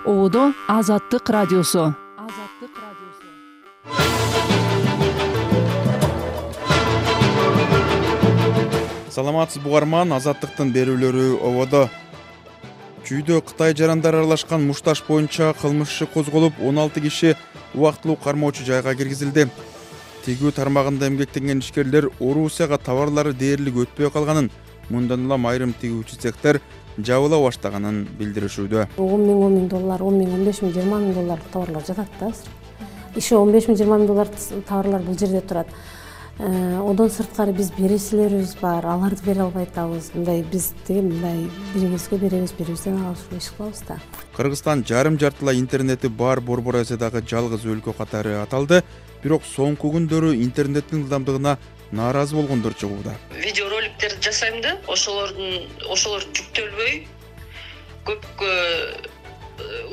Ободо Азаттык радиосу. Саламатсыз бугарман, Азаттыктын берүүлөрү ободо. Чүйдө Кытай жарандары аралашкан мушташ боюнча кылмыш иши козголуп, 16 киши убактылуу кармоочу жайга киргизилди. Тигүү тармагында эмгектенген ишкерлер Орусияга товарлары дээрлик өтпөй калганын, мындан улам айрым тигүүчү цехтер жабыла баштаганын билдиришүүдө. $10,000, $15,000, $20,000 товарлар жатат да. Иши $15,000, $20,000 товарлар бул жерде турат. Одан сырткары биз берүүчүлөрүбүз бар, аларды бере албай атабыз. Мындай биз мындай бирибизге беребиз, бирибизден алып иш кылабыз да. Кыргызстан жарым-жартылай интернети бар Борбор Азиядагы жалгыз өлкө катары аталды, бирок соңку күндөрү интернеттин ылдамдыгына нааразы болгондор чыгууда. Видеороликтерди жасайм да, ошолор жүктөлбөй көп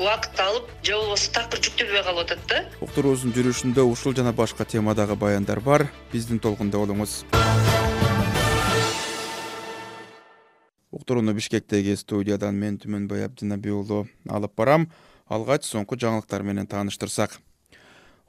убакыт алып, же болбосо такыр жүктөлбөй калып атат да. Уктуруубуздун жүрүшүндө ушул жана башка темадагы баяндар бар. Биздин толкунда болуңуз. Уктурууну Бишкектеги студиядан мен Түмөнбай Абдинабий уулу алып барам. Алгач соңку жаңылыктар менен тааныштырсак.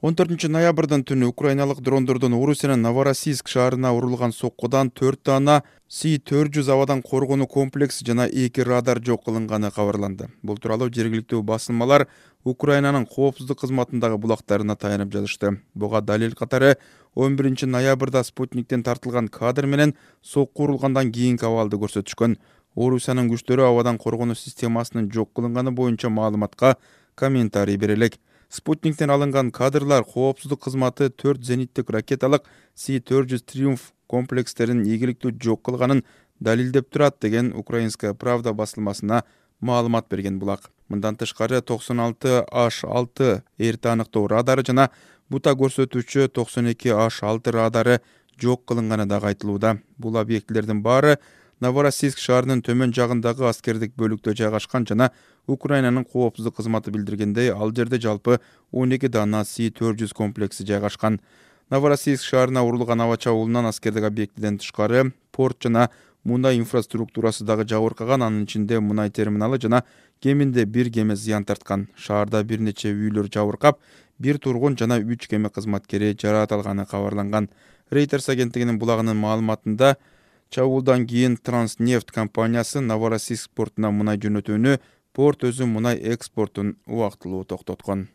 14 ноябрдын түнү украиналык дрондордон Орусиянын Новороссийск шаарына урулган соккудан 4 дана С-400 абадан коргонуу комплекси жана 2 радар жок кылынганы кабарланды. Бул тууралуу жергиликтүү басылмалар Украинанын коопсуздук кызматындагы булактарына таянып жазышты. Буга далил катары 11 ноябрда Спутниктен тартылган кадр менен сокку урулгандан кийинки абалды көрсөтүшкөн. Орусиянын күчтөрү абадан коргонуу системасынын жок кылынганы боюнча маалыматка комментарий бере элек. Спутниктен алынган кадрлар коопсуздук кызматы 4 зениттик ракеталык С-400 Триумф комплекстерин ийгиликтүү жок кылганын далилдеп турат деген Украинская правда басылмасына маалымат берген булак. Мындан тышкары 96H6 эрте аныктоо радары жана бута көрсөтүүчү 92H6 радары жок кылынганы дагы айтылууда. Бул объектилердин баары Новороссийск шаарынын төмөн жагындагы аскердик бөлүктө жайгашкан жана Украинанын коопсуздук кызматы билдиргендей, ал жерде жалпы 12 дана С-400 комплекси жайгашкан. Новороссийск шаарына урулган аба чабуулунан аскердик объектиден тышкары порт жана мунай инфраструктурасы дагы жабыркаган, анын ичинде мунай терминалы жана кеминде 1 кеме зыян тарткан. Шаарда бир нече үйлөр жабыркап, 1 тургун жана 3 кеме кызматкери жараат алганы кабарланган. Reuters агенттигинин булагынын маалыматында чабуулдан кийин Транснефть компаниясы Новороссийск портуна мунай жөнөтүүнү, порт өзү мунай экспортун убактылуу токтоткон.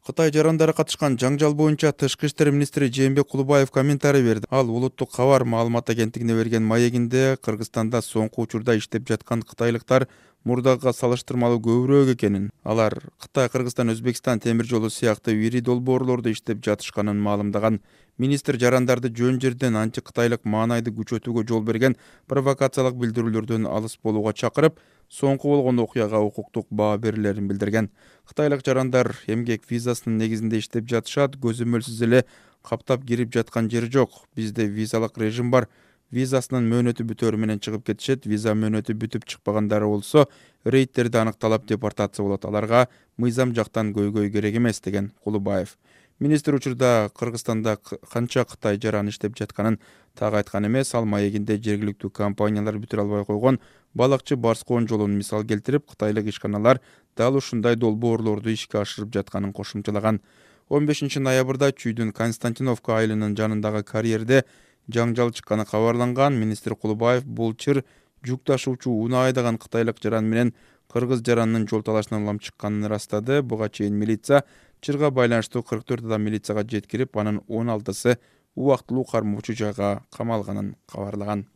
Кытай жарандары катышкан жаңжал боюнча Тышкы иштер министри Жээнбек Кулубаев комментарий берди. Ал улуттук кабар маалымат агенттигине берген маегинде Кыргызстанда соңку учурда иштеп жаткан кытайлыктар мурдагыга салыштырмалуу көбүрөөк экенин, алар Кытай, Кыргызстан, Өзбекстан темир жолу сыяктуу ири долбоорлордо иштеп жатышканын маалымдаган. Министр жарандарды жөн жерден анти-кытайлык маанайды күчөтүүгө жол берген провокациялык билдирүүлөрдөн алыс болууга чакырып, соңку болгон окуяга укуктук баа берилерин билдирген. Кытайлык жарандар эмгек визасынын негизинде иштеп жатышат, көзөмөлсүз эле каптап кирип жаткан жери жок. Бизде визалык режим бар. Визасынын мөөнөтү бүтөөрү менен чыгып кетишет. Виза мөөнөтү бүтүп чыкпагандары болсо, рейдтерди аныкталап депортация болот. Аларга мыйзам жактан көйгөй керек эмес деген Кулубаев. Министр учурда Кыргызстанда канча Кытай жаран иштеп жатканын так айткан эмес. Ал маегинде жергиликтүү компаниялар бүтүрө албай койгон балыкчы Барскоон жолун мисал келтирип, кытайлык ишканалар дал ушундай долбоорлорду ишке ашырып жатканын кошумчалаган. 15 ноябрда Чүйдүн Константиновка айылынын жанындагы карьерде жаңжал чыкканы кабарланган. Министр Кулубаев бул чыр жүк ташуучу унаа айдаган кытайлык жаран менен кыргыз жаранынын жол талашынан улам чыкканын ырастады. Буга чейин милиция чырга байланыштуу 44 адам милицияга жеткирип, анын 16сы убактылуу кармоочу жайга камалганын кабарлаган.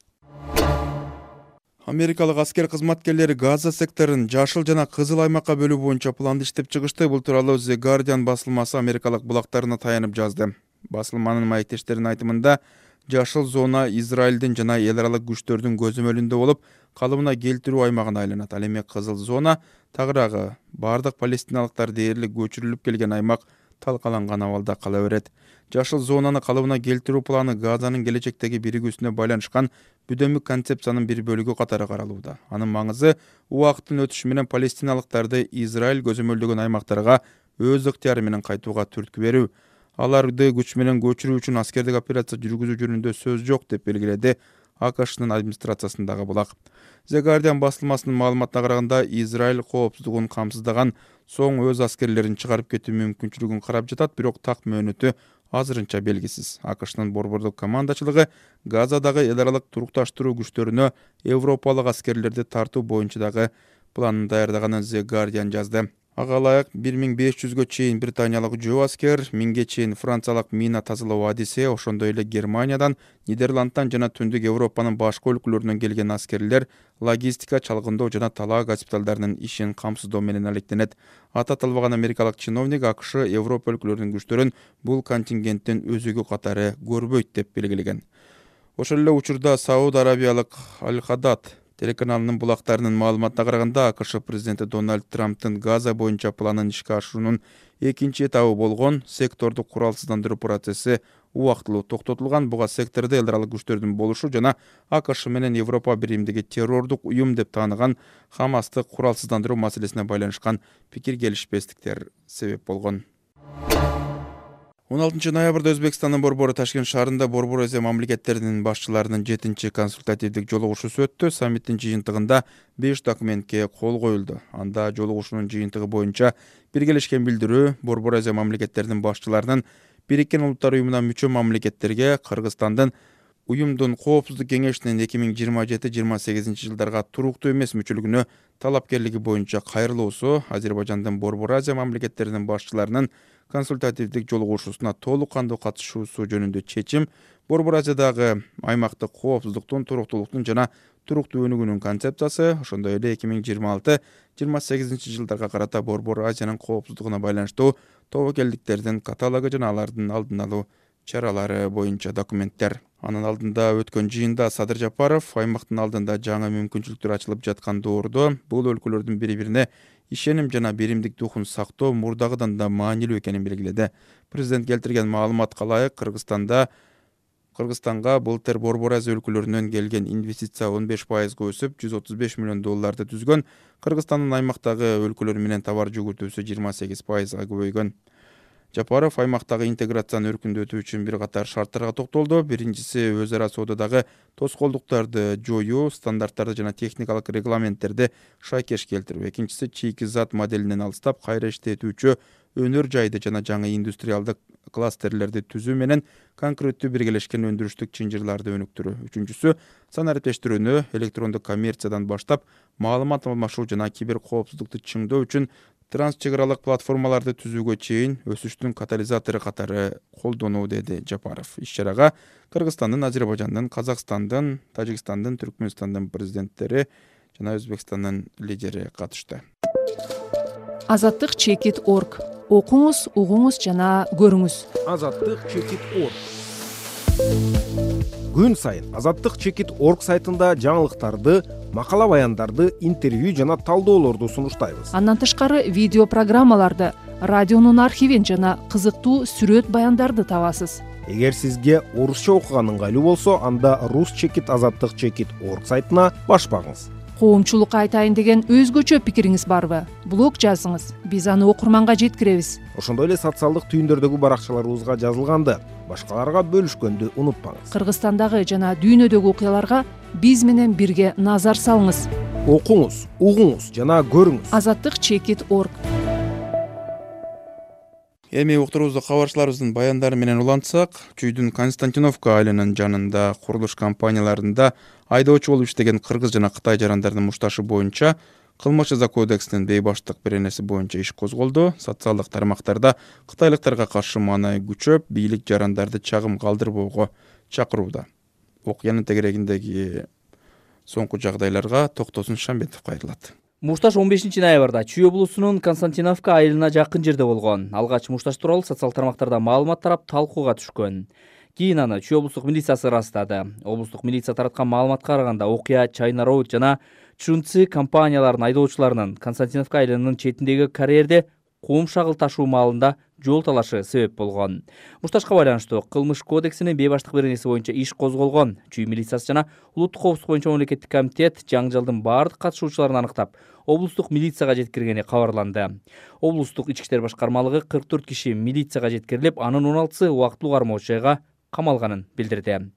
Америкалык аскер кызматкерлери Газа секторун жашыл жана кызыл аймакка бөлүү боюнча планды иштеп чыгышты. Бул тууралуу The Guardian басылмасы америкалык булактарына таянып жазды. Басылманын маектештеринин айтымында, жашыл зона Израилдин жана эл аралык күчтөрдүн көзөмөлүндө болуп, калыбына келтирүү аймагына айланат. Ал эми кызыл зона тагыраагы бардык палестиналыктар дээрлик көчүрүлүп келген аймак талкаланган абалда кала берет. Жашыл зонаны калыбына келтирүү планы Газанын келечектеги биригүүсүнө байланышкан бүдөмүк концепциянын бир бөлүгү катары каралууда. Анын маңызы убакыттын өтүшү менен палестиналыктарды Израиль көзөмөлдөгөн аймактарга өз ыктыяры менен кайтууга түрткү берүү. Аларды күч менен көчүрүү үчүн аскердик операция жүргүзүү жөнүндө сөз жок деп белгиледи АКШнын администрациясындагы булак. The Guardian басылмасынын маалыматына караганда, Израиль коопсуздугун камсыздаган соң өз аскерлерин чыгарып кетүү мүмкүнчүлүгүн карап жатат, бирок так мөөнөтү азырынча белгисиз. АКШнын борбордук командачылыгы Газадагы эл аралык турукташтыруу күчтөрүнө европалык аскерлерди тартуу боюнча дагы планын даярдаганын The Guardian жазды. Ага ылайык 1500гө чейин британиялык жөө аскер, 1000ге чейин франциялык мина тазалоо Одиссея, ошондой эле Германиядан, Нидерландтан жана Түндүк Европанын башка өлкөлөрүнөн келген аскерлер логистика, чалгындоо жана талаа госпиталдарынын ишин камсыздоо менен алектенет. Аты аталбаган америкалык чиновник АКШ Европа өлкөлөрүнүн күчтөрүн бул контингенттин өзөгү катары көрбөйт деп белгилеген. Ошол эле учурда Сауд Арабиялык Аль-Хадад телеканалынын булактарынын маалыматына караганда, АКШ президенти Дональд Трамптын Газа боюнча планын ишке ашыруунун экинчи этабы болгон сектордук куралсыздандыруу процесси убактылуу токтотулган. Буга сектордо эл аралык күчтөрдүн болушу жана АКШ менен Европа биримдиги террордук уюм деп тааныган Хамасты куралсыздандыруу маселесине байланышкан пикир келишпестиктер себеп болгон. 16 ноябрда Өзбекстандын Борбору Ташкент шаарында Борбор Азия мамлекеттеринин башчыларынын 7-чи консультативдик жолугушуусу өттү. Саммиттин жыйынтыгында 5 документке кол коюлду. Анда жолугушуунун жыйынтыгы боюнча биргелешкен билдирүү Борбор Азия мамлекеттеринин башчыларынын Бириккен Улуттар уюмуна мүчө мамлекеттерге Кыргызстандын уюмдун коопсуздук кеңешинин 2027-28 жылдарга туруктуу эмес мүчөлүгүнө талапкерлиги боюнча кайрылуусу Азербайжандын Борбор Азия мамлекеттеринин башчыларынын консультативдик жолугушуусуна толук кандуу катышуусу жөнүндө чечим Борбор Азиядагы аймактык коопсуздуктун, туруктуулуктун жана туруктуу өнүгүүнүн концепциясы, ошондой эле 2026-28 жылдарга карата Борбор Азиянын коопсуздугуна байланыштуу тобокелдиктердин каталогу жана алардын алдын алуу чаралары боюнча документтер. Анын алдында өткөн жыйында Садыр Жапаров аймактын алдында жаңы мүмкүнчүлүктөр ачылып жаткан доордо бул өлкөлөрдүн бири-бирине ишеним жана биримдик духун сактоо мурдагыдан да маанилүү экенин белгиледи. Президент келтирген маалыматка ылайык, Кыргызстанга былтыр Борбор Азия өлкөлөрүнөн келген инвестиция 15% өсүп, $135 миллион түзгөн. Кыргызстандын аймактагы өлкөлөр менен товар жүгүртүүсү 28%га көбөйгөн. Жапаров аймактагы интеграцияны өркүндөтүү үчүн бир катар шарттарга токтолду. Биринчиси өз ара соододагы тоскоолдуктарды жоюу, стандарттарды жана техникалык регламенттерди шайкеш келтирүү. Экинчиси чийки зат моделинен алыстап кайра иштетүүчү өнөр жайды жана жаңы индустриалдык кластерлерди түзүү менен конкреттүү биргелешкен өндүрүштүк чынжырларды өнүктүрүү. Үчүнчүсү сан ариптештирүүнү электрондук коммерциядан баштап маалымат алмашуу жана кибер коопсуздукту чыңдоо үчүн трансчек аралык платформаларды түзүүгө чейин өсүштүн катализатору катары колдонуу, деди Жапаров. Иш-чарага Кыргызстандын, Азербайжандын, Казакстандын, Тажикстандын, Түркмөнстандын президенттери жана Өзбекстандын лидери катышты. Азаттык.org. Окуңуз, угуңуз жана көрүңүз. Азаттык.org. Күн сайын Азаттык.org сайтында жаңылыктарды, макала баяндарды, интервью жана талдоолорду сунуштайбыз. Андан тышкары видео программаларды, радионун архивин жана кызыктуу сүрөт баяндарды табасыз. Эгер сизге орусча окуган ыңгайлуу болсо, анда Азаттык.org сайтына баш багыңыз. Коомчулукка айтайын деген өзгөчө пикириңиз барбы? Блог жазыңыз, биз аны окурманга жеткиребиз. Ошондой эле социалдык түйүндөрдөгү баракчаларыбызга жазылганды башкаларга бөлүшкөндү унутпаңыз. Кыргызстандагы жана дүйнөдөгү окуяларга биз менен бирге назар салыңыз. Окуңуз, угуңуз жана көрүңүз. Азаттык.org. Эми уктурубузду кабарчыларыбыздын баяндары менен улантсак, Чүйдүн Константиновка айылынын жанында курулуш компанияларында айдоочу болуп иштеген кыргыз жана кытай жарандарынын мушташы боюнча кылмыш жаза кодексинин бейбаштык беренеси боюнча иш козголду. Социалдык тармактарда кытайлыктарга каршы маанай күчөп, бийлик жарандарды чагым калтырбоого чакырууда. Окуянын тегерегиндеги соңку жагдайларга Токтосун Шамбетов кайрылат. Мушташ 15 ноябрда Чүй облусунун Константиновка айылына жакын жерде болгон. Алгач мушташ тууралуу социалдык тармактарда маалымат тарап талкууга түшкөн. Кийин аны Чүй облустук милициясы ырастады. Облустук милиция тараткан маалыматка караганда окуя Чайна Роуд жана Чунци компанияларынын айдоочуларынын Константиновка айылынын четиндеги карьерде кум шагыл ташуу маалында жол талашы себеп болгон. Мушташка байланыштуу кылмыш кодексинин бейбаштык беренеси боюнча иш козголгон. Чүй милициясы жана улуттук коопсуздук боюнча мамлекеттик комитет жаңжалдын баардык катышуучуларын аныктап, облустук милицияга жеткиргени кабарланды. Облустук ички иштер башкармалыгы 44 киши милицияга жеткирилип, анын 16сы убактылуу кармоочу жайга камалганын билдирди.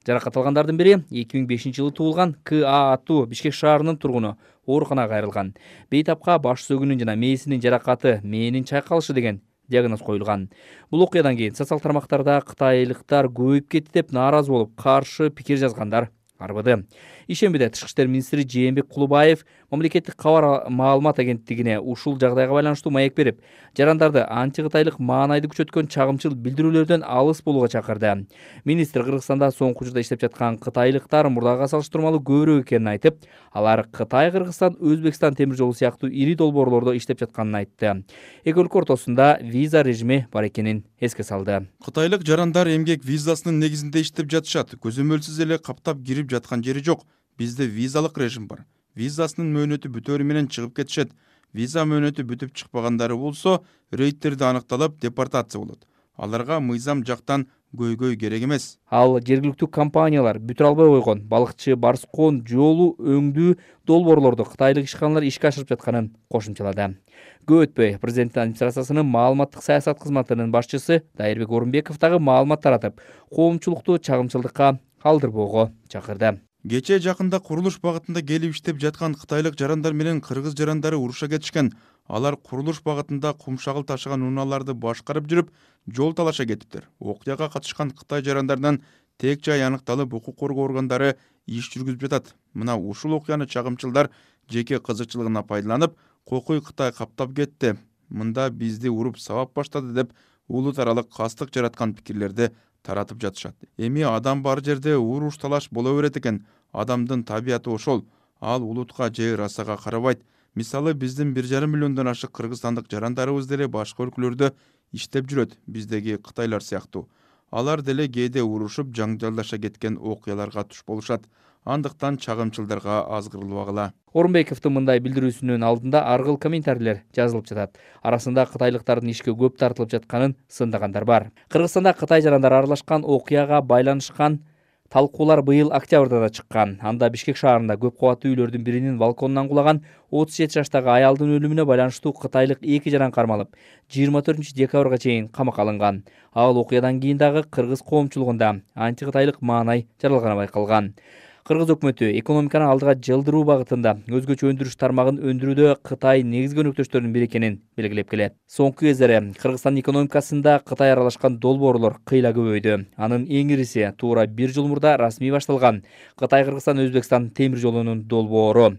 Жаракат алгандардын бири 2005-жылы туулган К.А. аттуу Бишкек шаарынын тургуну ооруканага кайрылган. Бейтапка баш сөгүүнүн жана мээсинин жаракаты, мээнин чайкалышы деген диагноз коюлган. Бул окуядан кийин социал тармактарда кытайлыктар көбөйүп кетти деп нааразы болуп, каршы пикир жазгандар арбыды. Ишембиде Тышкы иштер министри Жээнбек Кулубаев мамлекеттик кабар маалымат агенттигине ушул жагдайга байланыштуу маек берип, жарандарды анти-кытайлык маанайды күчөткөн чагымчыл билдирүүлөрдөн алыс болууга чакырды. Министр Кыргызстанда соңку учурда иштеп жаткан кытайлыктар мурдага салыштырмалуу көбүрөөк экенин айтып, алар Кытай, Кыргызстан, Өзбекстан темир жолу сыяктуу ири долбоорлордо иштеп жатканын айтты. Эки өлкө ортосунда виза режими бар экенин эске салды. Кытайлык жарандар эмгек визасынын негизинде иштеп жатышат. Көзөмөлсүз эле каптап кирип жаткан жери жок. Бизде визалык режим бар. Визасынын мөөнөтү бүтөөрү менен чыгып кетишет. Виза мөөнөтү бүтүп чыкпагандары болсо, рейдтерде аныкталып, депортация болот. Аларга мыйзам жактан көйгөй керек эмес. Ал жергиликтүү компаниялар бүтүрө албай койгон балыкчы Барскон жолу өңдүү долбоорлорду кытайлык ишканалар ишке ашырып жатканын кошумчалады. Көп өтпөй президенттин администрациясынын маалыматтык саясат кызматынын башчысы Дайырбек Орунбеков дагы маалымат таратып, коомчулукту чагымчылдыкка алдырбоого чакырды. Кечээ жакында курулуш багытында келип иштеп жаткан кытайлык жарандар менен кыргыз жарандары уруша кетишкен. Алар курулуш багытында кумшагыл ташыган унааларды башкарып жүрүп, жол талаша кетиптир. Окуяга катышкан кытай жарандарынан тек жай аныкталып, укук коргоо органдары иш жүргүзүп жатат. Мына ушул окуяны чагымчылдар жеке кызыкчылыгына пайдаланып, кокуй Кытай каптап кетти, мында бизди уруп сабап баштады деп улут аралык кастык жараткан пикирлерди таратып жатышат. Эми адам бар жерде уруш талаш боло берет экен. Адамдын табияты ошол. Ал улутка же расага карабайт. Мисалы, биздин 1,5 миллиондон ашык кыргызстандык жарандарыбыз деле башка өлкөлөрдө иштеп жүрөт, биздеги кытайлар сыяктуу. Алар деле кээде урушуп, жаңжалдаша кеткен окуяларга туш болушат. Андыктан чагымчылдарга азгырылбагыла. Орунбековдун мындай билдирүүсүнүн алдында ар кыл комментарийлер жазылып жатат. Арасында кытайлыктардын ишке көп тартылып жатканын сындагандар бар. Кыргызстанда Кытай жарандары аралашкан окуяга байланышкан талкуулар быйыл октябрда да чыккан. Анда Бишкек шаарында көп кабаттуу үйлөрдүн биринин балконунан кулаган 37 жаштагы аялдын өлүмүнө байланыштуу кытайлык 2 жаран кармалып, 24 декабрга чейин камакка алынган. Ал окуядан кийин дагы кыргыз коомчулугунда анти-кытайлык маанай жаралганы байкалган. Кыргыз өкмөтү экономиканы алдыга жылдыруу багытында өзгөчө өндүрүш тармагын өндүрүүдө Кытай негизги өнөктөштөрдүн бири экенин белгилеп келет. Соңку кездери Кыргызстан экономикасында Кытай аралашкан долбоорлор кыйла көбөйдү. Анын эң ириси туура 1 жыл мурда расмий башталган Кытай-Кыргызстан Өзбекстан темир жолунун долбоору.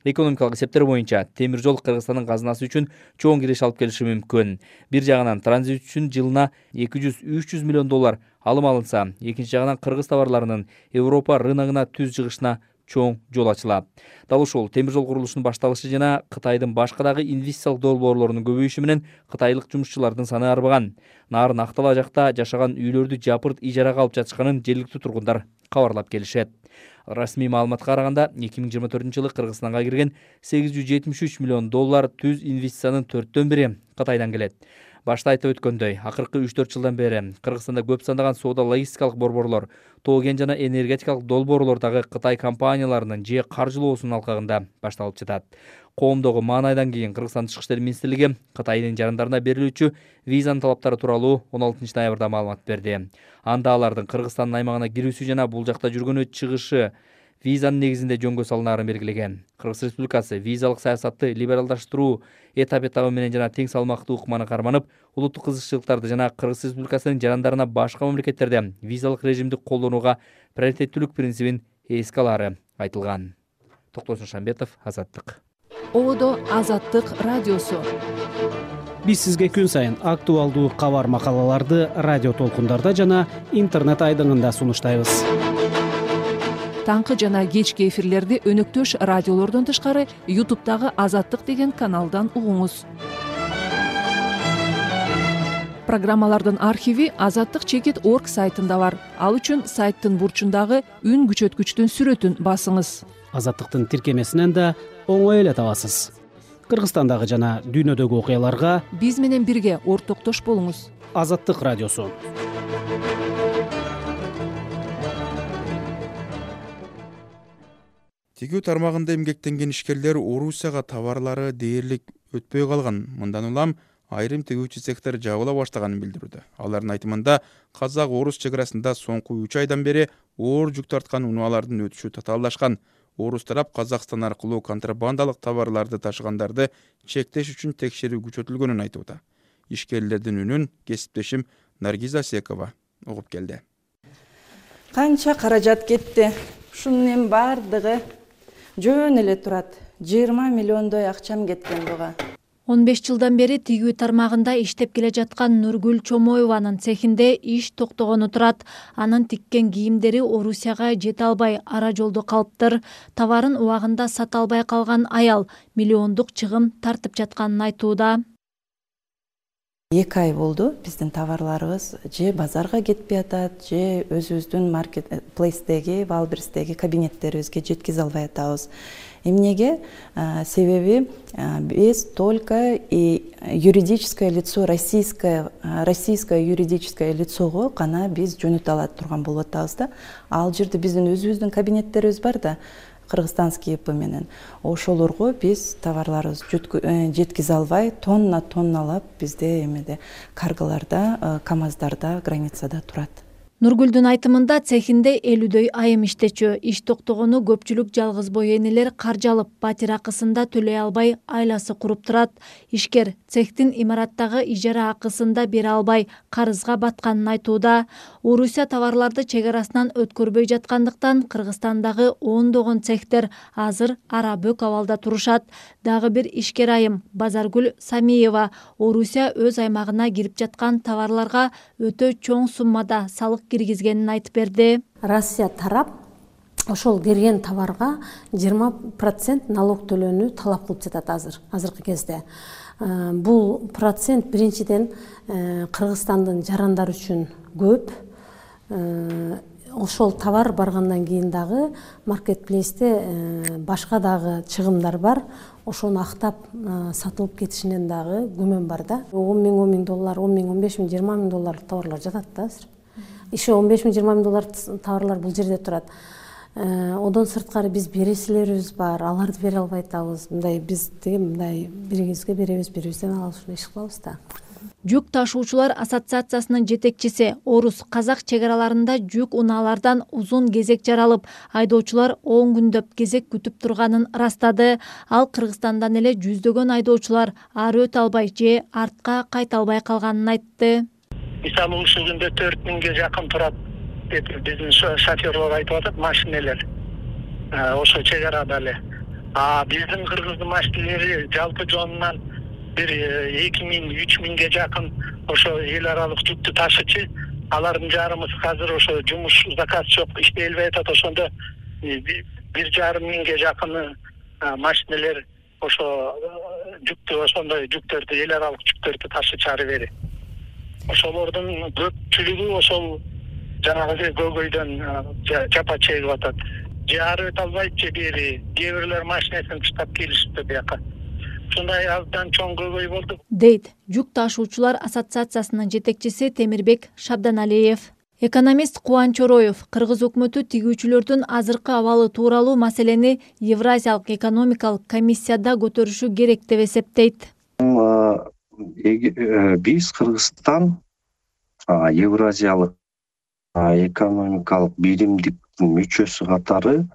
Экономикалык эсептер боюнча темир жол Кыргызстандын казынасы үчүн чоң киреш алып келиши мүмкүн. Бир жагынан транзит үчүн жылына 200-300 миллион доллар алым алынса, экинчи жагынан кыргыз товарларынын Европа рыногуна түз жыгышына чоң жол ачылат. Дал ушул темир жол курулушунун башталышы жана Кытайдын башка дагы инвестициялык долбоорлорунун көбөйүшү менен кытайлык жумушчулардын саны арбаган. Нарын Актала жакта жашаган үйлөрдү жапырт ижарага алып жатышканын жергиликтүү тургундар кабарлап келишет. Расмий маалыматка караганда 2024-жылы Кыргызстанга кирген 873 миллион доллар түз инвестициянын 4/1 Кытайдан келет. Башта айтып өткөндөй, акыркы 3-4 жылдан бери Кыргызстанда көп сандаган соода логистикалык борборлор, тоо-кен жана энергетикалык долбоорлор дагы Кытай компанияларынын же каржылоосунун алкагында башталып жатат. Коомдогу маанайдан кийин Кыргызстан Тышкы иштер министрлиги Кытайдын жарандарына берилүүчү визанын талаптары тууралуу 16 ноябрда маалымат берди. Анда алардын Кыргызстандын аймагына кирүүсү жана бул жакта жүргөнү чыгышы визанын негизинде жөнгө салынаарын белгилеген. Кыргыз Республикасы визалык саясатты либералдаштыруу этап менен жана тең салмактуу ыкманы карманып, улуттук кызыкчылыктарды жана Кыргыз Республикасынын жарандарына башка мамлекеттерде визалык режимди колдонууга приоритеттүүлүк принцибин эске алары айтылган. Токтосун Шамбетов, Азаттык. Одо Азаттык радиосу. Биз сизге күн сайын актуалдуу кабар макалаларды радио толкундарда жана интернет айдыңында сунуштайбыз. Таңкы жана кечки эфирлерди өнөктөш радиолордон тышкары YouTube'дагы Азаттык деген каналдан угуңуз. Программалардын архиви azattik.org сайтында бар. Ал үчүн сайттын бурчундагы үн күчөткүчтүн сүрөтүн басыңыз. Азаттыктын тиркемесинен да оңой эле табасыз. Кыргызстандагы жана дүйнөдөгү окуяларга биз менен бирге ортоктош болуңуз. Азаттык радиосу. Тигүү тармагында эмгектенген ишкерлер Орусияга товарлары дээрлик өтпөй калган. Мындан улам айрым тигүүчү цехтер жабыла баштаганын билдирүүдө. Алардын айтымында казак-орус чек арасында соңку 3 айдан бери оор жүк тарткан унаалардын өтүшү татаалдашкан. Орус тарап Казакстан аркылуу контрабандалык товарларды ташыгандарды чектеш үчүн текшерүү күчөтүлгөнүн айтууда. Ишкерлердин үнүн кесиптешим Наргиза Секова угуп келди. Канча каражат кетти. Ушунун бардыгы жөн эле турат. 20 миллиондой акчам кеткен буга. 15 жылдан бери тигүү тармагында иштеп келе жаткан Нургүл Чомоеванын цехинде иш токтогону турат. Анын тиккен кийимдери Орусияга жете албай ара жолдо калыптыр. Товарын убагында сата албай калган аял миллиондук чыгым тартып жатканын айтууда. 2 ай болду биздин товарларыбыз же базарга кетпей атат, же өзүбүздүн маркетплейстеги, Валберстеги кабинеттерибизге жеткизе албай атабыз. Эмнеге? Себеби биз только юридическое лицо, российское юридическое лицого гана биз жөнөтө ала турган болуп атабыз да. Ал жерде биздин өзүбүздүн кабинеттерибиз бар да, кыргызстанский ИП менен. Ошолорго биз товарларыбызды жеткизе албай, тонналап бизде эмеде карголарда, КАМАЗдарда, границада турат. Нургүлдүн айтымында цехинде 50дөй айым иштечү. Иш токтогону көпчүлүк жалгыз бой энелер каржы алып, батир акысында төлөй албай айласы куруп турат. Ишкер цехтин имараттагы ижара акысында бере албай карызга батканын айтууда. Орусия товарларды чек арасынан өткөрбөй жаткандыктан Кыргызстандагы ондогон цехтер азыр ара бөк абалда турушат. Дагы бир ишкер айым Базаргүл Самиева Орусия өз аймагына кирип жаткан товарларга өтө чоң суммада салык киргизгенин айтып берди. Россия тарап ошол кирген товарга 20% налог төлөөнү талап кылып жатат азыркы кезде. Бул процент биринчиден Кыргызстандын жарандары үчүн көп. Ошол товар баргандан кийин дагы маркетплейсте башка дагы чыгымдар бар. Ошону актап сатылып кетишинен дагы күмөн бар да. 10 миң доллар, 10 миң, 15 миң, 20 миң долларлык товарлар жатат да азыр. Иши 15 миң, 20 миң доллар товарлар бул жерде турат. Одон сырткары биз бересилерибиз бар, аларды бере албай атабыз. Мындай биз мындай бирибизге беребиз, бирибизден алабыз, ушундай иш кылабыз да. Жүк ташуучулар ассоциациясынын жетекчиси Орус казак чек араларында жүк унаалардан узун кезек жаралып, айдоочулар 10 күндөп кезек күтүп турганын ырастады. Ал Кыргызстандан эле жүздөгөн айдоочулар ары өтө албай же артка кайта албай калганын айтты. Мисалы ушул күндө 4 миңге жакын турат деп биздин шоферлор айтып атат, машинелер. Ошо чек арада эле. Биздин кыргыздын машинелери жалпы жонунан бир 2 миң, 3 миңге жакын ошо эл аралык жүктү ташычы. Алардын жарымысы азыр ошо жумуш заказ жок, иштей албай атат. Ошондо 1,5 миңге жакын машинелер ошо жүктү, ошондой жүктөрдү, эл аралык жүктөрдү ташычы ары бери. Ошолордун көпчүлүгү ошол жанагы көйгөйдөн жапа чегип атат. Же ары өтө албайт, же бери кээ бирлер машинесин таштап келишипти бияка. Ушундай абдан чоң көйгөй болду, дейт жүк ташуучулар ассоциациясынын жетекчиси Темирбек Шабданалиев. Экономист Кубанч Ороев Кыргыз өкмөтү тигүүчүлөрдүн азыркы абалы тууралуу маселени Евразиялык экономикалык комиссияда көтөрүшү керек деп эсептейт. Биз Кыргызстан Евразиялык экономикалык биримдиктин мүчөсү катары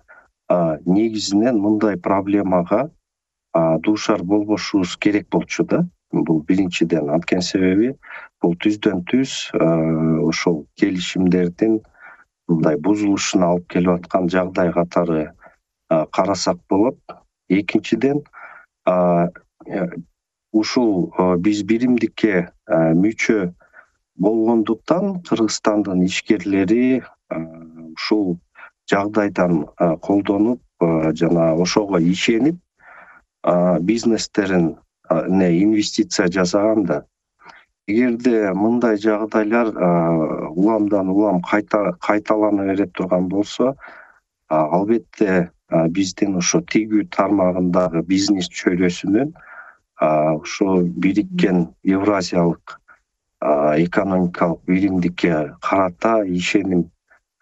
негизинен мындай проблемага дуушар болбошубуз керек болчу да. Бул биринчиден. Анткени себеби бул түздөн түз ошол келишимдердин мындай бузулушуна алып келип аткан жагдай катары карасак болот. Экинчиден, ушул биз биримдикке мүчө болгондуктан Кыргызстандын ишкерлери ушул жагдайдан колдонуп жана ошого ишенип бизнестерин инвестиция жасаганда, эгерде мындай жагдайлар уламдан улам кайталана бере турган болсо, албетте биздин ошо тигүү тармагындагы бизнес чөйрөсүнүн ошо бириккен Евразиялык экономикалык биримдикке карата ишеним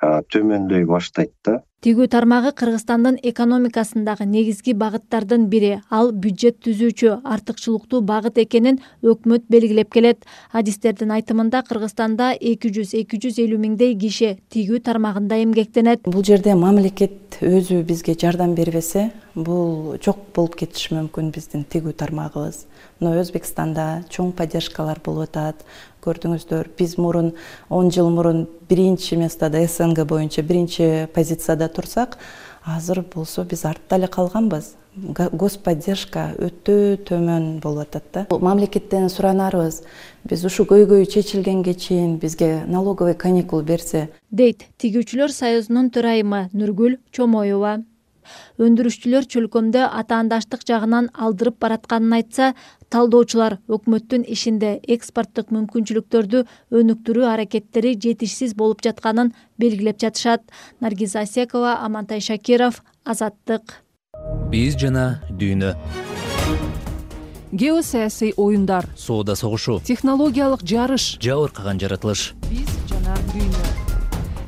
төмөндөй баштайт да. Тигүү тармагы Кыргызстандын экономикасындагы негизги багыттардын бири. Ал бюджет түзүүчү артыкчылыктуу багыт экенин өкмөт белгилеп келет. Адистердин айтымында Кыргызстанда 200-250 миңдей киши тигүү тармагында эмгектенет. Бул жерде мамлекет өзү бизге жардам бербесе, бул жок болуп кетиши мүмкүн биздин тигүү тармагыбыз. Мына Өзбекстанда чоң поддержкалар болуп атат. Көрдүңүздөр, биз мурун 10 жыл мурун биринчи местода СНГ боюнча биринчи позицияда турсак, азыр болсо биз артта эле калганбыз. Господдержка өтө төмөн болуп атат да. Мамлекеттен суранарыбыз, биз ушу көйгөй чечилгенге чейин бизге налоговый каникул берсе, дейт Тигүүчүлөр союзунун төрайымы Нургүл Чомоева. Өндүрүшчүлөр чөлкөмдө атаандаштык жагынан алдырып баратканын айтса, талдоочулар өкмөттүн ишинде экспорттук мүмкүнчүлүктөрдү өнүктүрүү аракеттери жетишсиз болуп жатканын белгилеп жатышат. Наргиз Асекова, Амантай Шакиров, Азаттык. Биз жана дүйнө. Геосаясий оюндар, Соода согушу, технологиялык жарыш, жабыркаган жаратылыш. Биз жана дүйнө.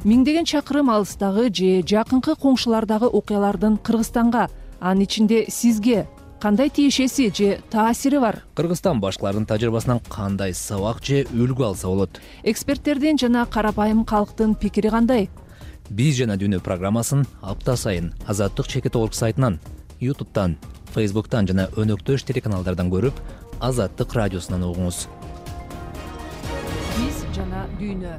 Миңдеген чакырым алыстагы же жакынкы коңшулардагы окуялардын Кыргызстанга, анын ичинде сизге кандай тиешеси же таасири бар? Кыргызстан башкалардын тажрыйбасынан кандай сабак же үлгү алса болот? Эксперттердин жана карапайым калктын пикири кандай? Биз жана дүйнө программасын апта сайын Азаттык чекит орг сайтынан, YouTube'тан, Facebook'тан жана өнөктөш телеканалдардан көрүп, Азаттык радиосунан угуңуз. Биз жана дүйнө.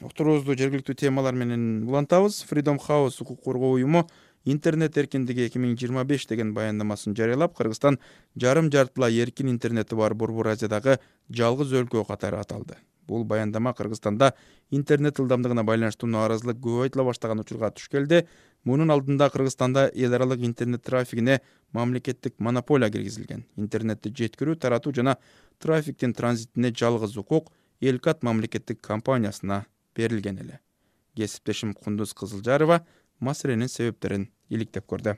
Уктуруубузду жергиликтүү темалар менен улантабыз. Freedom House укук коргоо уюму интернет эркиндиги 2025 деген баяндамасын жарыялап, Кыргызстан жарым жартылай эркин интернети бар Борбор Азиядагы жалгыз өлкө катары аталды. Бул баяндама Кыргызстанда интернет ылдамдыгына байланыштуу нааразылык көп айтыла баштаган учурга туш келди. Мунун алдында Кыргызстанда эл аралык интернет трафигине мамлекеттик монополия киргизилген. Интернетти жеткирүү, таратуу жана трафиктин транзитине жалгыз укук Элкат мамлекеттик компаниясына берилген эле. Кесиптешим Кундуз Кызылжарова маселенин себептерин иликтеп көрдү.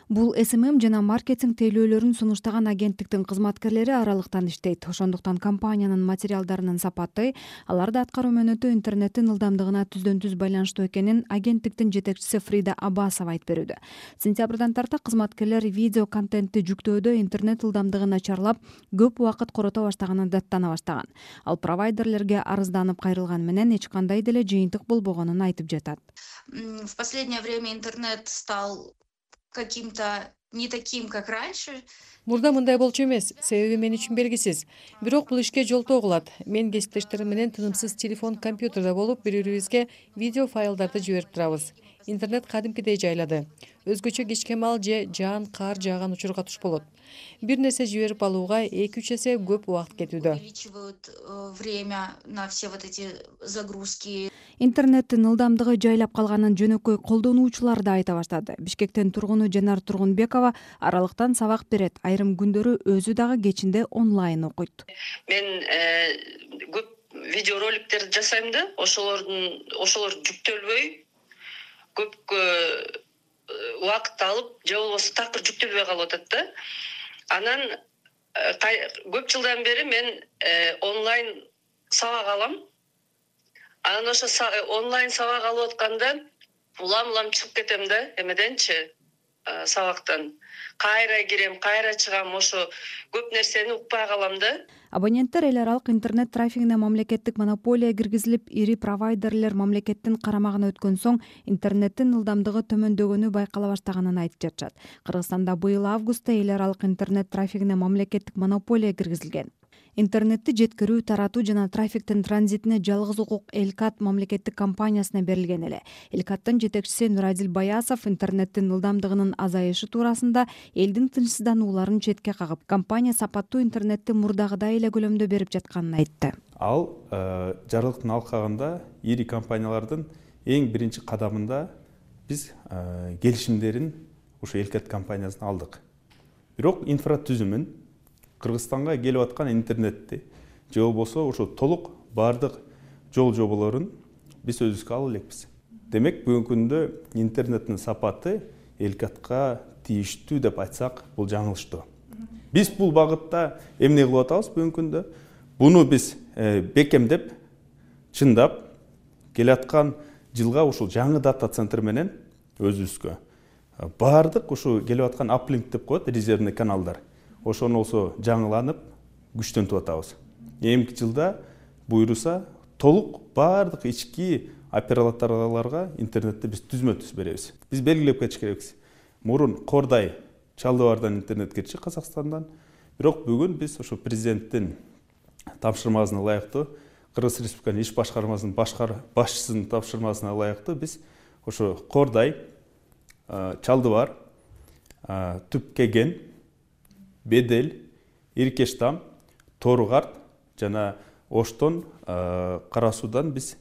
Бул СММ жана маркетинг тейлөөлөрүн сунуштаган агенттиктин кызматкерлери аралыктан иштейт. Ошондуктан компаниянын материалдарынын сапаты, аларды аткаруу мөөнөтү интернеттин ылдамдыгына түздөн-түз байланыштуу экенин агенттиктин жетекчиси Фрида Аббасова айтып берүүдө. Сентябрдан тарта кызматкерлер видео контентти жүктөөдө интернет ылдамдыгы начарлап, көп убакыт корото баштаганын даттана баштаган. Ал провайдерлерге арызданып кайрылган менен эч кандай деле жыйынтык болбогонун айтып жатат. В последнее время интернет стал каким-то не таким, как раньше. Мурда мындай болчу эмес, себеби мен үчүн белгисиз. Бирок бул ишке жолтоо кылат. Мен кесиптештерим менен тынымсыз телефон, компьютерде болуп, бири-бирибизге видео файлдарды жиберип турабыз. Интернет кадимкидей жайлады. Өзгөчө кечке мал же жаан кар жааган учурга туш болот. Бир нерсе жиберип алууга 2-3 эсе көп убакыт кетүүдө. Увеличивают время на все вот эти загрузки. Интернеттин ылдамдыгы жайлап калганын жөнөкөй колдонуучулар да айта баштады. Бишкектен тургуну Жанар Тургунбекова аралыктан сабак берет. Айрым күндөрү өзү дагы кечинде онлайн окуйт. Мен көп видеороликтерди жасайм да, ошолор жүктөлбөй көп убакыт алып, же болбосо такыр жүктөлбөй калып атат да. Анан көп жылдан бери мен онлайн сабак алам. Анан ошо онлайн сабак алып атканда улам чыгып кетем да, эмеденчи сабактан. Кайра кирем, кайра чыгам, ошо көп нерсени укпай калам да. Абоненттер эл аралык интернет трафигине мамлекеттик монополия киргизилип, ири провайдерлер мамлекеттин карамагына өткөн соң интернеттин ылдамдыгы төмөндөгөнү байкала баштаганын айтып жатышат. Кыргызстанда быйыл августта эл аралык интернет трафигине мамлекеттик монополия киргизилген. Интернетти жеткирүү, таратуу жана трафиктин транзитине жалгыз укук Элкат мамлекеттик компаниясына берилген эле. Элкаттын жетекчиси Нурадил Баясов интернеттин ылдамдыгынын азайышы туурасында элдин тынчсызданууларын четке кагып, компания сапаттуу интернетти мурдагыдай эле көлөмдө берип жатканын айтты. Ал жарылыктын алкагында ири компаниялардын эң биринчи кадамында биз келишимдерин ушу Элкат компаниясына алдык. Бирок инфратүзүмүн Кыргызстанга келип аткан интернетти же болбосо ошо толук бардык жол жоболорун биз өзүбүзгө ала элекпиз. Демек бүгүнкү күндө интернеттин сапаты Элкатка тийиштүү деп айтсак, бул жаңылыштуу. Биз бул багытта эмне кылып атабыз бүгүнкү күндө? Буну биз бекемдеп, чындап, келаткан жылга ушул жаңы дата центр менен өзүбүзгө баардык ушу келип аткан аплинк деп коет, резервный каналдар. Ошону болсо жаңыланып, күчтөнтүп атабыз. Эмки жылда буйруса толук баардык ички операторлорго интернетти биз түзмө-түз беребиз. Биз белгилеп кетиш керекпиз. Мурун Кордай, Чалдыбардан интернет кирчи Казакстандан. Бирок бүгүн биз ошо президенттин тапшырмасына ылайыктуу, Кыргыз Республиканын иш башкармасынын башчысынын тапшырмасына ылайыктуу биз ошо Кордай, Чалдыбар, Түпкеген, Бедел, Иркештам, Тору-Карт жана Оштон, Кара Суудан биз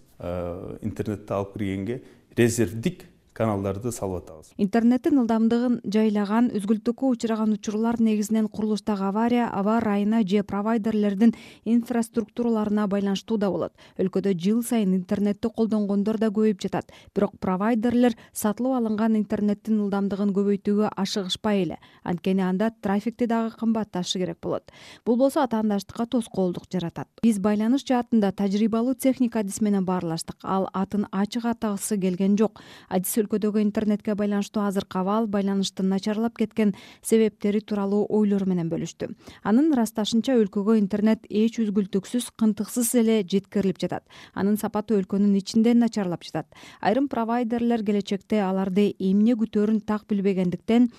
интернетти алып киргенге резервдик каналдарды салып атабыз. Интернеттин ылдамдыгын жайлаган, үзгүлтүккө учураган учурлар негизинен курулуштагы авария, аба ырайына же провайдерлердин инфраструктураларына байланыштуу да болот. Өлкөдө жыл сайын интернетти колдонгондор да көбөйүп жатат. Бирок провайдерлер сатылып алынган интернеттин ылдамдыгын көбөйтүүгө ашыгышпай эле. Анткени анда трафикти дагы кымбатташы керек болот. Бул болсо атаандаштыкка тоскоолдук жаратат. Биз байланыш жаатында тажрыйбалуу техник адис менен баарлаштык. Ал атын ачык атагысы келген жок. Адис өлкөдөгү интернетке байланыштуу азыркы абал, байланыштын начарлап кеткен себептери тууралуу ойлору менен бөлүштү. Анын ырасташынча өлкөгө интернет эч үзгүлтүксүз, кынтыксыз эле жеткирилип жатат. Анын сапаты өлкөнүн ичинде начарлап жатат. Айрым провайдерлер келечекте аларды эмне күтөөрүн так билбегендиктен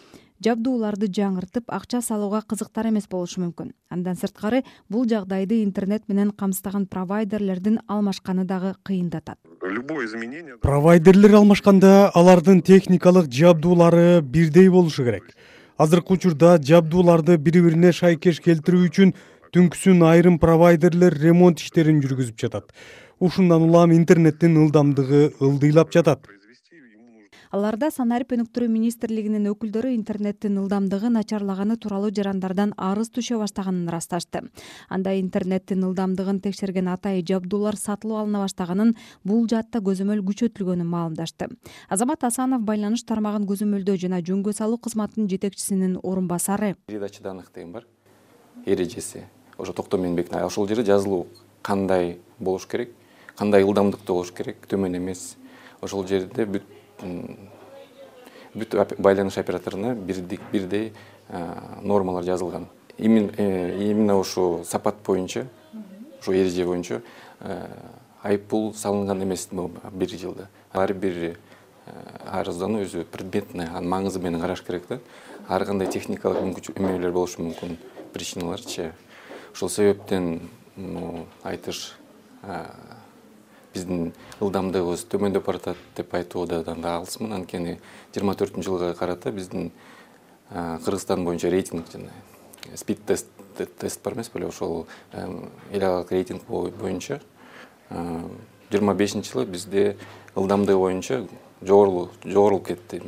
жабдууларды жаңыртып, акча салууга кызыктар эмес болушу мүмкүн. Андан сырткары, бул жагдайды интернет менен камсыздаган провайдерлердин алмашканы дагы кыйындатат. Провайдерлер алмашканда алардын техникалык жабдуулары бирдей болушу керек. Азыркы учурда жабдууларды бири-бирине шайкеш келтирүү үчүн түнкүсүн айрым провайдерлер ремонт иштерин жүргүзүп жатат. Ушундан улам интернеттин ылдамдыгы ылдыйлап жатат. Аларда Санарип өнүктүрүү министрлигинин өкүлдөрү интернеттин ылдамдыгы начарлаганы тууралуу жарандардан арыз түшө баштаганын ырасташты. Анда интернеттин ылдамдыгын текшерген атайы жабдуулар сатылып алына баштаганын, бул жаатта көзөмөл күчөтүлгөнүн маалымдашты. Азамат Асанов байланыш тармагын көзөмөлдөө жана жөнгө салуу кызматынын жетекчисинин орун басары. Передача данных деген бар. Эрежеси. Ошо токтом менбек. Ошол жерде жазылуу кандай болуш керек, кандай ылдамдыкта болуш керек, төмөн эмес. Ошол жерде бүт байланыш операторуна бирдей нормалар жазылган. Именно ошо сапат боюнча, ошо эреже боюнча айыппул салынган эмес бир жылда. Ар бир арыздануу өзү предметный, анын маңызы менен караш керек да. Ар кандай техникалык мүмкүнчүлүктөр болушу мүмкүн, причиналарчы. Ошол себептен айтыш биздин ылдамдыгыбыз төмөндөп баратат деп айтуудан да алысмын. Анткени 24-жылга карата биздин Кыргызстан боюнча рейтинг жана спид тест бар эмес беле, ошол эл аралык рейтинг боюнча 25-жылы бизде ылдамдыгы боюнча жогорулуп кетти.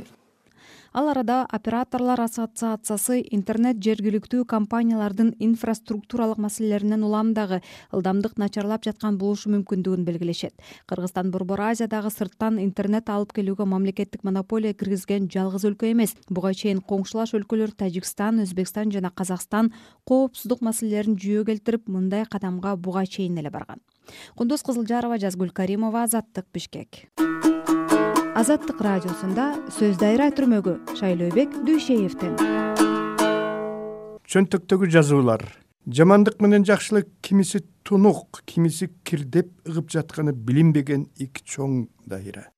Ал арада операторлор ассоциациясы интернет жергиликтүү компаниялардын инфраструктуралык маселелеринен улам дагы ылдамдык начарлап жаткан болушу мүмкүндүгүн белгилешет. Кыргызстан Борбор Азиядагы сырттан интернет алып келүүгө мамлекеттик монополия киргизген жалгыз өлкө эмес. Буга чейин коңшулаш өлкөлөр Тажикстан, Өзбекстан жана Казакстан коопсуздук маселелерин жүйө келтирип, мындай кадамга буга чейин эле барган. Кундуз Кызылжарова, Жазгүл Каримова, Азаттык, Бишкек. Азаттык радиосунда сөз дайра түрмөгү Шайлообек Дүйшеевден. Чөнтөктөгү жазуулар. Жамандык менен жакшылык кимиси тунук, кимиси кирдеп ыгып жатканы билинбеген эки чоң дайра.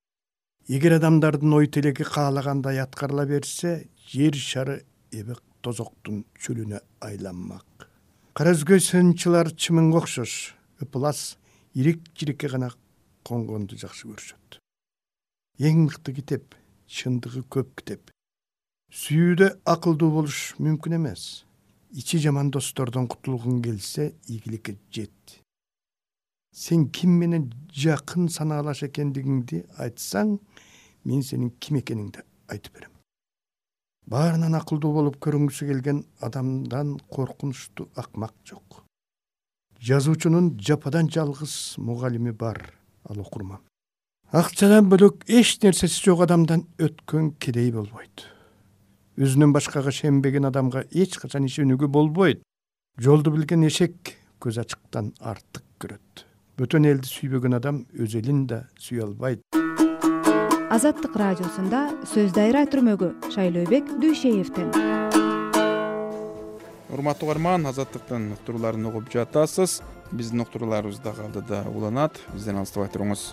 Эгер адамдардын ой тилеги каалагандай аткарыла берсе, жер шары эбек тозоктун чөлүнө айланмак. Кара өзгөй сынчылар чымынга окшош, ыпылас, ирик-жирикке гана конгонду жакшы көрүшөт. Эң мыкты китеп, чындыгы көп китеп. Сүйүүдө акылдуу болуш мүмкүн эмес. Ичи жаман достордон кутулгуң келсе, ийгиликке жет. Сен ким менен жакын санаалаш экендигиңди айтсаң, мен сенин ким экениңди айтып берем. Баарынан акылдуу болуп көрүнгүсү келген адамдан коркунучтуу акмак жок. Жазуучунун жападан жалгыз мугалими бар, ал окурман. Акчадан бөлөк эч нерсеси жок адамдан өткөн кедей болбойт. Өзүнөн башкага шенбеген адамга эч качан ишенүүгө болбойт. Жолду билген эшек көз ачыктан артык көрөт. Бөтөн элди сүйбөгөн адам өз элин да сүйө албайт. Азаттык радиосунда сөз дайра түрмөгү Шайлообек Дүйшеевден. Урматтуу угарман, Азаттыктын уктурууларын угуп жатасыз. Биздин уктурууларыбыз дагы алдыда уланат. Бизден алыстабай туруңуз.